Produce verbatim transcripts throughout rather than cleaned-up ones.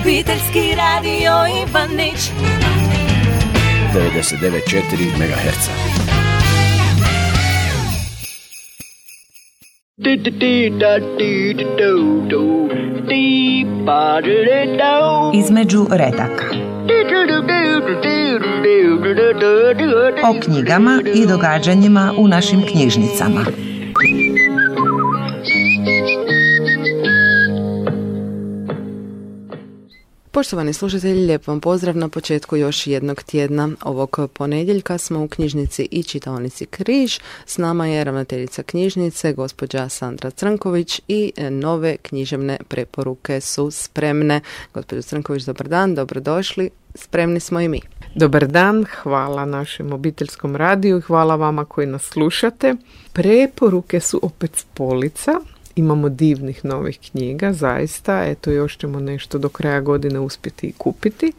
Obiteljski radio Ivanić devedeset devet zarez četiri megaherca. Između redaka. O knjigama i događanjima u našim knjižnicama. Poštovani slušatelji, lijep vam pozdrav na početku još jednog tjedna. Ovog ponedjeljka smo u knjižnici i čitaonici Križ. S nama je ravnateljica knjižnice, gospođa Sandra Crnković, i nove književne preporuke su spremne. Gospođo Crnković, dobar dan, dobrodošli. Spremni smo i mi. Dobar dan, hvala našem obiteljskom radiju i hvala vama koji nas slušate. Preporuke su opet s polica. Imamo divnih novih knjiga, zaista. Eto, još ćemo nešto do kraja godine uspjeti i kupiti.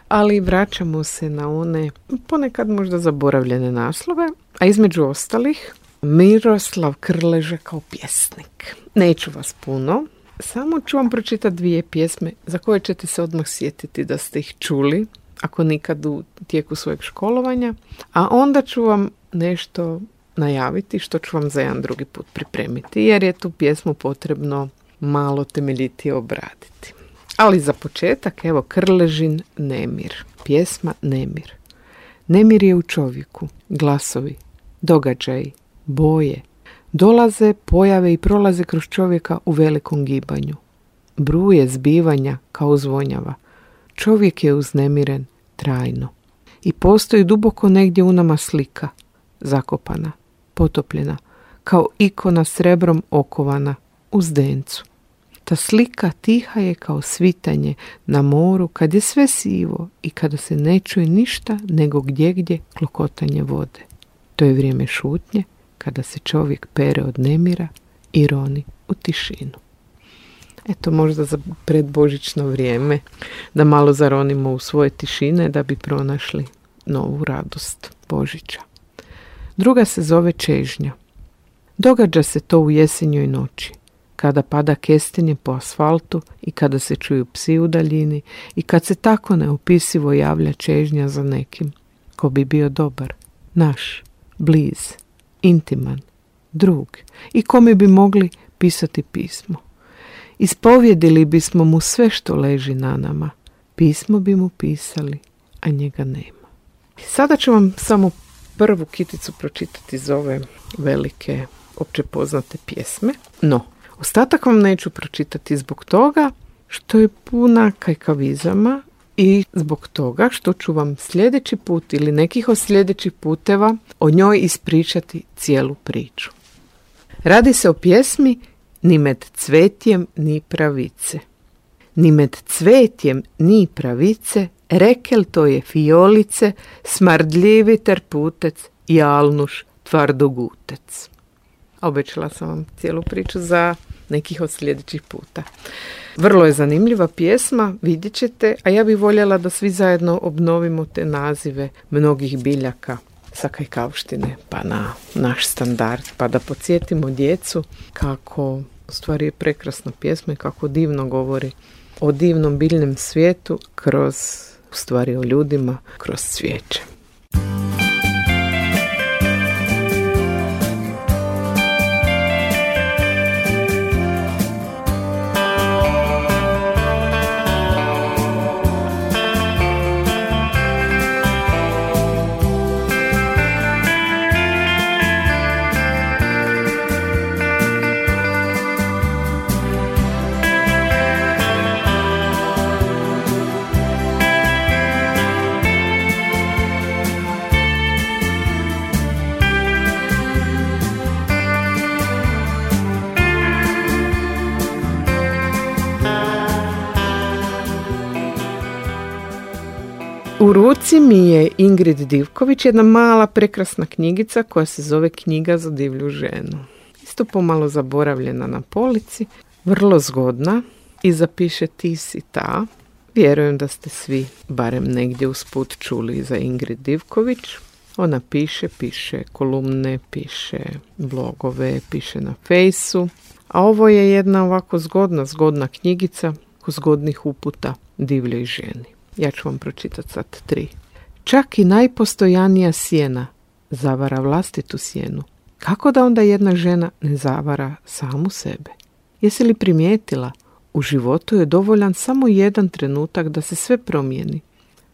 Ali vraćamo se na one ponekad možda zaboravljene naslove. A između ostalih, Miroslav Krleža kao pjesnik. Neću vas puno, samo ću vam pročitati dvije pjesme za koje ćete se odmah sjetiti da ste ih čuli, ako nikad u tijeku svojeg školovanja. A onda ću vam nešto najaviti što ću vam za jedan drugi put pripremiti, jer je tu pjesmu potrebno malo temeljitije obraditi. Ali za početak, evo, Krležin Nemir. Pjesma Nemir. Nemir je u čovjeku. Glasovi, događaji, boje. Dolaze, pojave i prolaze kroz čovjeka u velikom gibanju. Bruje zbivanja kao zvonjava. Čovjek je uznemiren trajno. I postoji duboko negdje u nama slika, zakopana, potopljena, kao ikona srebrom okovana u zdencu. Ta slika tiha je kao svitanje na moru kad je sve sivo i kada se ne čuje ništa nego gdje gdje klokotanje vode. To je vrijeme šutnje kada se čovjek pere od nemira i roni u tišinu. Eto, možda za predbožićno vrijeme da malo zaronimo u svoje tišine da bi pronašli novu radost Božića. Druga se zove Čežnja. Događa se to u jesenjoj noći, kada pada kestenje po asfaltu i kada se čuju psi u daljini i kad se tako neopisivo javlja čežnja za nekim ko bi bio dobar, naš, bliz, intiman, drug i kome bi mogli pisati pismo. Ispovjedili bismo mu sve što leži na nama, pismo bi mu pisali, a njega nema. Sada ću vam samo prvu kiticu pročitati iz ove velike, opće poznate pjesme. No, ostatak vam neću pročitati zbog toga što je puna kajkavizama i zbog toga što ću vam sljedeći put ili nekih od sljedećih puteva o njoj ispričati cijelu priču. Radi se o pjesmi Ni med cvetjem ni pravice. Ni med cvetjem ni pravice, rekel to je fiolice, smardljivi terputec, jalnuš, tvardogutec. Obećala sam vam cijelu priču za nekih od sljedećih puta. Vrlo je zanimljiva pjesma, vidjet ćete, a ja bih voljela da svi zajedno obnovimo te nazive mnogih biljaka sa Kajkavštine pa na naš standard, pa da podsjetimo djecu kako u stvari je prekrasna pjesma i kako divno govori o divnom biljnom svijetu kroz, u stvari o ljudima, kroz cvijeće. U ruci mi je Ingrid Divković, jedna mala prekrasna knjigica koja se zove Knjiga za divlju ženu. Isto pomalo zaboravljena na polici, vrlo zgodna i zapiše ti si ta. Vjerujem da ste svi barem negdje usput čuli za Ingrid Divković. Ona piše, piše kolumne, piše blogove, piše na fejsu. A ovo je jedna ovako zgodna, zgodna knjigica nekoliko zgodnih uputa divljoj ženi. Ja ću vam pročitati sad tri. Čak i najpostojanija sjena zavara vlastitu sjenu. Kako da onda jedna žena ne zavara samu sebe? Jesi li primijetila? U životu je dovoljan samo jedan trenutak da se sve promijeni.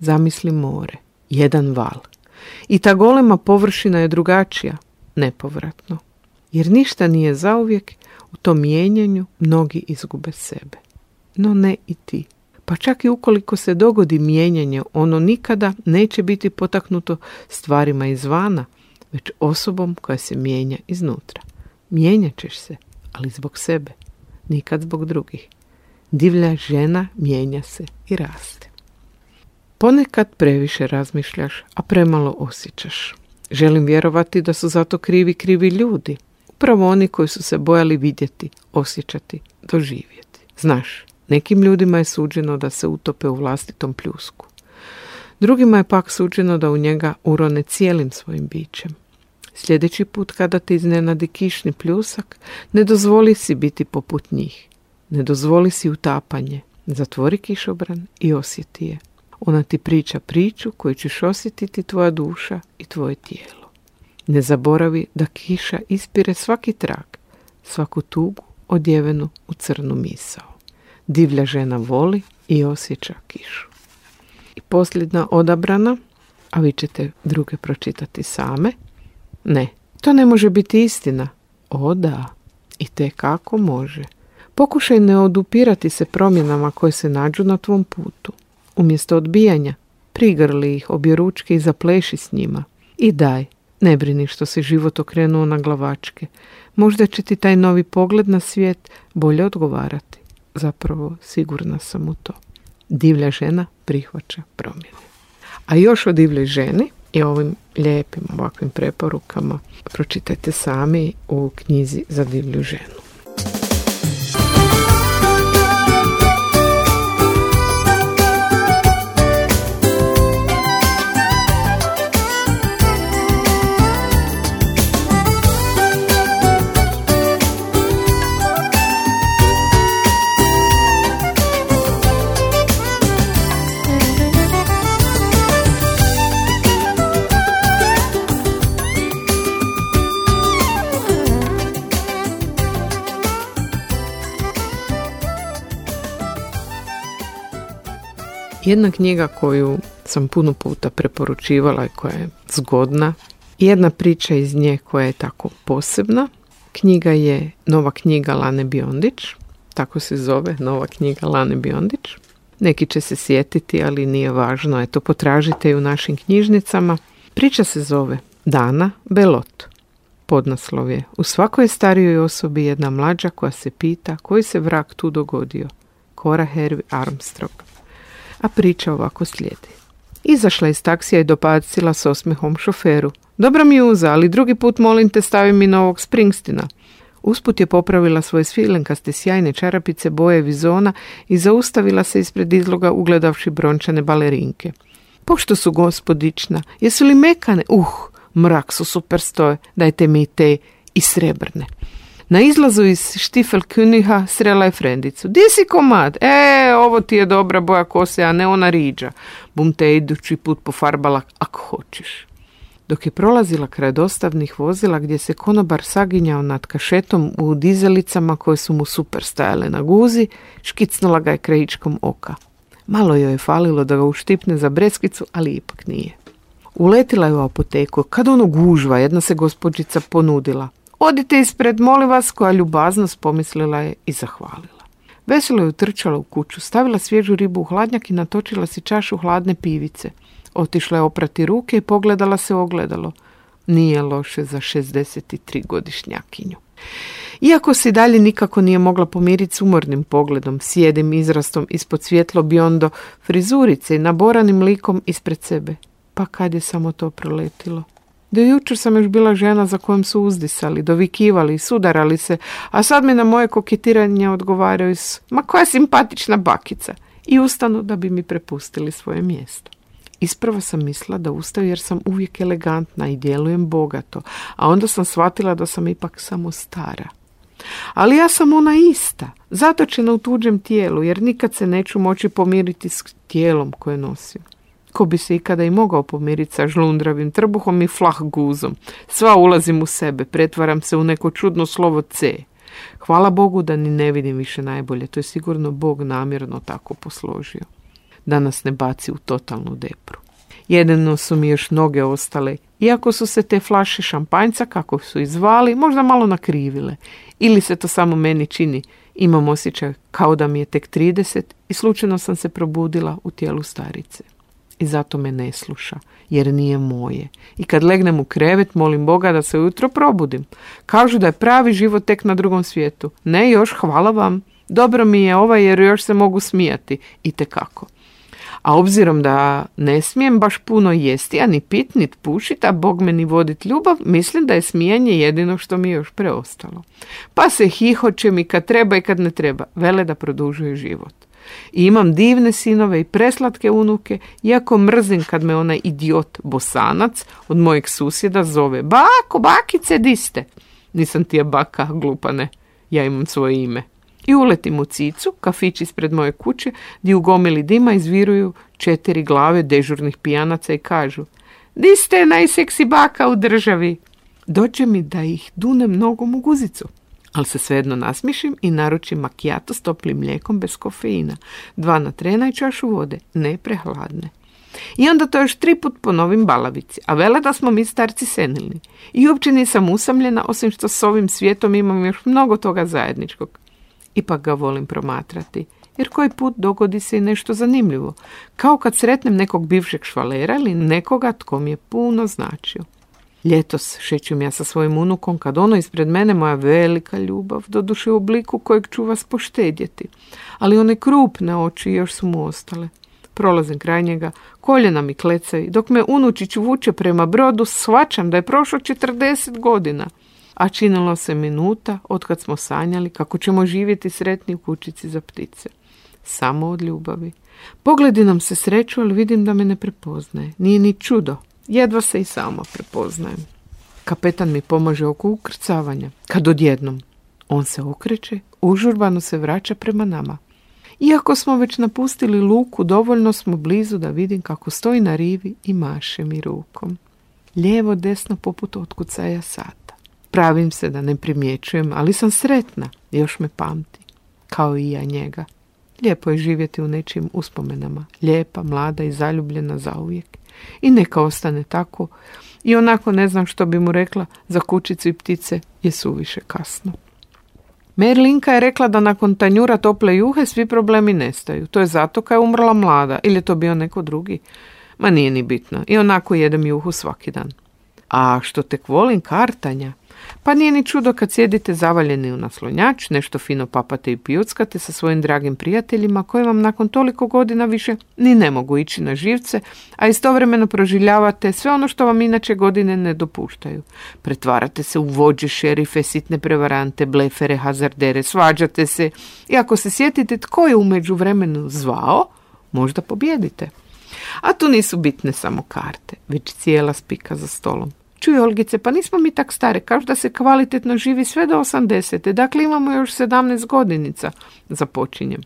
Zamisli more, jedan val. I ta golema površina je drugačija, nepovratno. Jer ništa nije zauvijek, u tom mijenjanju mnogi izgube sebe. No ne i ti. Pa čak i ukoliko se dogodi mijenjanje, ono nikada neće biti potaknuto stvarima izvana, već osobom koja se mijenja iznutra. Mijenjat ćeš se, ali zbog sebe, nikad zbog drugih. Divlja žena mijenja se i raste. Ponekad previše razmišljaš, a premalo osjećaš. Želim vjerovati da su zato krivi krivi ljudi. Upravo oni koji su se bojali vidjeti, osjećati, doživjeti. Znaš, nekim ljudima je suđeno da se utope u vlastitom pljusku. Drugima je pak suđeno da u njega urone cijelim svojim bićem. Sljedeći put kada te iznenadi kišni pljusak, ne dozvoli si biti poput njih. Ne dozvoli si utapanje. Zatvori kišobran i osjeti je. Ona ti priča priču koju ćeš osjetiti tvoja duša i tvoje tijelo. Ne zaboravi da kiša ispire svaki trag, svaku tugu odjevenu u crnu misao. Divlja žena voli i osjeća kišu. I posljedna odabrana, a vi ćete druge pročitati same. Ne, to ne može biti istina. O da, i te kako može. Pokušaj ne odupirati se promjenama koje se nađu na tvom putu. Umjesto odbijanja, prigrli ih objeručke i zapleši s njima. I daj, ne brini što se život okrenuo na glavačke. Možda će ti taj novi pogled na svijet bolje odgovarati. Zapravo, sigurna sam u to. Divlja žena prihvaća promjene. A još o divljoj ženi i ovim lijepim ovakvim preporukama pročitajte sami u knjizi za divlju ženu. Jedna knjiga koju sam puno puta preporučivala i koja je zgodna, jedna priča iz nje koja je tako posebna. Knjiga je Nova knjiga Lane Biondić, tako se zove, Nova knjiga Lane Biondić. Neki će se sjetiti, ali nije važno, eto potražite ju u našim knjižnicama. Priča se zove Dana Belot. Podnaslov je: u svakoj starijoj osobi jedna mlađa koja se pita koji se vrag tu dogodio. Cora Hervey Armstrong. A priča ovako slijedi. Izašla iz taksija i dopacila s osmehom šoferu. Dobra mi uza, ali drugi put molim te stavi mi novog Springstina. Usput je popravila svoje svilenkaste sjajne čarapice boje vizona i zaustavila se ispred izloga ugledavši brončane balerinke. Pošto su gospodična, jesu li mekane? Uh, mrak su super stoje, dajte mi te i srebrne. Na izlazu iz Stiefel-Königa srela je frendicu. Di si komad? E, ovo ti je dobra boja kose, a ne ona riđa. Bum te idući put pofarbala ako hoćeš. Dok je prolazila kraj dostavnih vozila gdje se konobar saginjao nad kašetom u dizelicama koje su mu super stajale na guzi, škicnula ga je krajičkom oka. Malo joj je falilo da ga uštipne za breskicu, ali ipak nije. Uletila je u apoteku. Kad ono gužva, jedna se gospođica ponudila. Odite ispred, molim vas, koja ljubaznost, pomislila je i zahvalila. Veselo je utrčala u kuću, stavila svježu ribu u hladnjak i natočila si čašu hladne pivice. Otišla je oprati ruke i pogledala se u ogledalo. Nije loše za šezdeset tri godišnjakinju. Iako se dalje nikako nije mogla pomiriti s umornim pogledom, sjedim izrastom ispod svjetlo biondo frizurice i naboranim likom ispred sebe. Pa kad je samo to proletilo? Do jučer sam još bila žena za kojom su uzdisali, dovikivali i sudarali se, a sad mi na moje koketiranje odgovaraju s ma koja simpatična bakica i ustanu da bi mi prepustili svoje mjesto. Isprva sam mislila da ustaju jer sam uvijek elegantna i djelujem bogato, a onda sam shvatila da sam ipak samo stara. Ali ja sam ona ista, zatočena u tuđem tijelu, jer nikad se neću moći pomiriti s tijelom koje nosim. Ko bi se ikada i mogao pomiriti sa žlundravim trbuhom i flah guzom. Sva ulazim u sebe, pretvaram se u neko čudno slovo C. Hvala Bogu da ni ne vidim više najbolje, to je sigurno Bog namjerno tako posložio. Da nas ne baci u totalnu depru. Jedino su mi još noge ostale, iako su se te flaše šampanjca, kako su ih zvali, možda malo nakrivile. Ili se to samo meni čini, imam osjećaj kao da mi je tek trideset i slučajno sam se probudila u tijelu starice. I zato me ne sluša, jer nije moje. I kad legnem u krevet, molim Boga da se ujutro probudim. Kažu da je pravi život tek na drugom svijetu. Ne još, hvala vam. Dobro mi je ovaj jer još se mogu smijati. Itekako. A obzirom da ne smijem baš puno jesti, a ni pit, ni pušit, a Bog me ni vodit ljubav, mislim da je smijanje jedino što mi je još preostalo. Pa se hihoćem i kad treba i kad ne treba. Vele da produžuje život. I imam divne sinove i preslatke unuke, iako mrzim kad me onaj idiot Bosanac od mojeg susjeda zove: bako, bakice, di ste? Nisam ti je baka, glupane, ja imam svoje ime. I uletim u Cicu, kafić ispred moje kuće, gdje u gomili dima izviruju četiri glave dežurnih pijanaca i kažu: di ste najseksi baka u državi? Dođe mi da ih dunem nogom u guzicu. Ali se svejedno nasmišim i naručim makijato s toplim mlijekom bez kofeina. Dva natrena i čašu vode, ne prehladne. I onda to još tri put ponovim balavici, a vele da smo mi starci senilni. I uopće nisam usamljena, osim što s ovim svijetom imam još mnogo toga zajedničkog. Ipak ga volim promatrati, jer koji put dogodi se i nešto zanimljivo, kao kad sretnem nekog bivšeg švalera ili nekoga tko mi je puno značio. Ljetos šećem ja sa svojim unukom kad ono ispred mene moja velika ljubav, doduše u obliku kojeg ću vas poštedjeti, ali one krupne oči još su mu ostale. Prolazim kraj njega, koljena mi klecaju, dok me unučić vuče prema brodu, shvaćam da je prošlo četrdeset godina. A činilo se minuta otkad smo sanjali kako ćemo živjeti sretni u kućici za ptice. Samo od ljubavi. Pogledi nam se sreću, ali vidim da me ne prepoznaje. Nije ni čudo. Jedva se i sama prepoznajem. Kapetan mi pomaže oko ukrcavanja. Kad odjednom on se okreće, užurbano se vraća prema nama. Iako smo već napustili luku, dovoljno smo blizu da vidim kako stoji na rivi i maše mi rukom. Lijevo, desno poput otkucaja sata. Pravim se da ne primjećujem, ali sam sretna, još me pamti. Kao i ja njega. Lijepo je živjeti u nečijim uspomenama. Lijepa, mlada i zaljubljena zauvijek. I neka ostane tako. I onako ne znam što bi mu rekla, za kućicu i ptice je suviše kasno. Merlinka je rekla da nakon tanjura tople juhe svi problemi nestaju. To je zato kad je umrla mlada. Ili je to bio neko drugi? Ma nije ni bitno. I onako jedem juhu svaki dan. A što tek volim kartanja? Pa nije ni čudo kad sjedite zavaljeni u naslonjač, nešto fino papate i pijuckate sa svojim dragim prijateljima koji vam nakon toliko godina više ni ne mogu ići na živce, a istovremeno proživljavate sve ono što vam inače godine ne dopuštaju. Pretvarate se u vođe, šerife, sitne prevarante, blefere, hazardere, svađate se i ako se sjetite tko je u međuvremenu zvao, možda pobijedite. A tu nisu bitne samo karte, već cijela spika za stolom. Čuj, Olgice, pa nismo mi tak stare, kažu da se kvalitetno živi sve do osamdesete, dakle imamo još sedamnaest godinica, započinjem.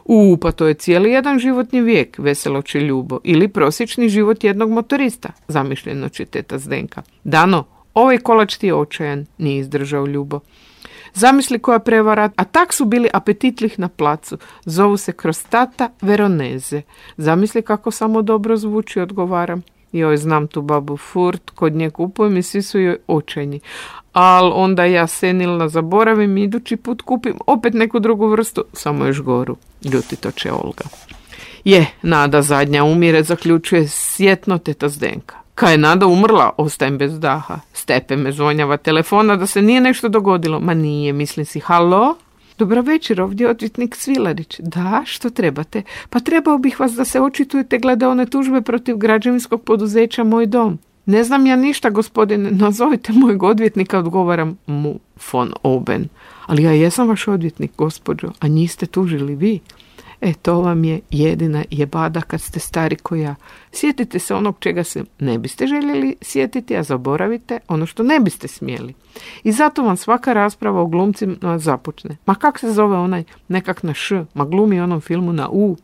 U, pa to je cijeli jedan životni vijek, veselo će Ljubo, ili prosječni život jednog motorista, zamišljeno će teta Zdenka. Dano, ovaj kolač ti je očajan, nije izdržao Ljubo. Zamisli koja prevara, a tak su bili apetitlih na placu, zovu se Krostata Veroneze. Zamisli kako samo dobro zvuči, odgovaram. Joj, znam tu babu Furt, kod nje kupujem i svi su joj očajni. Al onda ja senilna zaboravim i idući put kupim opet neku drugu vrstu, samo još goru. Ljutito će Olga. Je, Nada zadnja umire, zaključuje sjetno teta Zdenka. Kad je Nada umrla, ostajem bez daha. Stepe me zvonjava telefona da se nije nešto dogodilo. Ma nije, mislim si, halo? Dobra večer, ovdje odvjetnik Svilarić. Da, što trebate? Pa trebao bih vas da se očitujete glede one tužbe protiv građevinskog poduzeća Moj dom. Ne znam ja ništa, gospodine, nazovite mojeg odvjetnika, odgovaram mu von Oben. Ali ja jesam vaš odvjetnik, gospođo, a njih ste tužili vi. E, to vam je jedina jebada kad ste stari ko ja. Sjetite se onog čega se ne biste željeli sjetiti, a zaboravite ono što ne biste smjeli. I zato vam svaka rasprava o glumcima započne. Ma kak se zove onaj nekak na š, ma glumi onom filmu na u.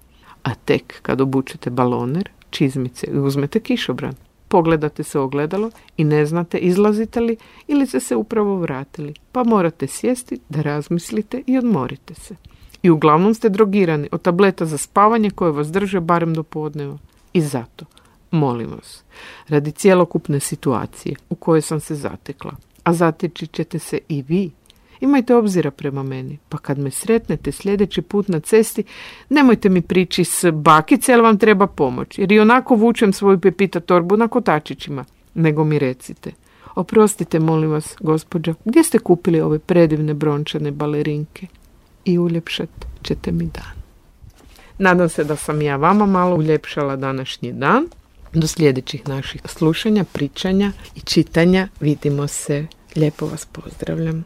A tek kad obučete baloner, čizmice i uzmete kišobran, pogledate se u ogledalo i ne znate izlazite li ili ste se upravo vratili, pa morate sjesti da razmislite i odmorite se. I uglavnom ste drogirani od tableta za spavanje koje vas drže barem do podneva. I zato, molim vas, radi cjelokupne situacije u kojoj sam se zatekla, a zateći ćete se i vi, imajte obzira prema meni, pa kad me sretnete sljedeći put na cesti, nemojte mi prići s bakice, jer vam treba pomoć, jer i onako vučem svoju pepita torbu na kotačićima, nego mi recite, oprostite, molim vas, gospođo, gdje ste kupili ove predivne brončane balerinke? I uljepšat ćete mi dan. Nadam se da sam ja vama malo uljepšala današnji dan. Do sljedećih naših slušanja, pričanja i čitanja. Vidimo se. Lijepo vas pozdravljam.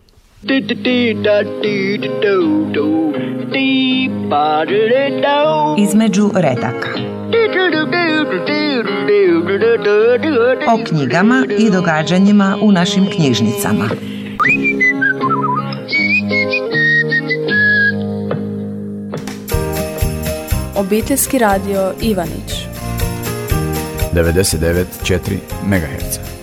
Između redaka. O knjigama i događanjima u našim knjižnicama. Obiteljski radio Ivanić devedeset devet zarez četiri megaherca.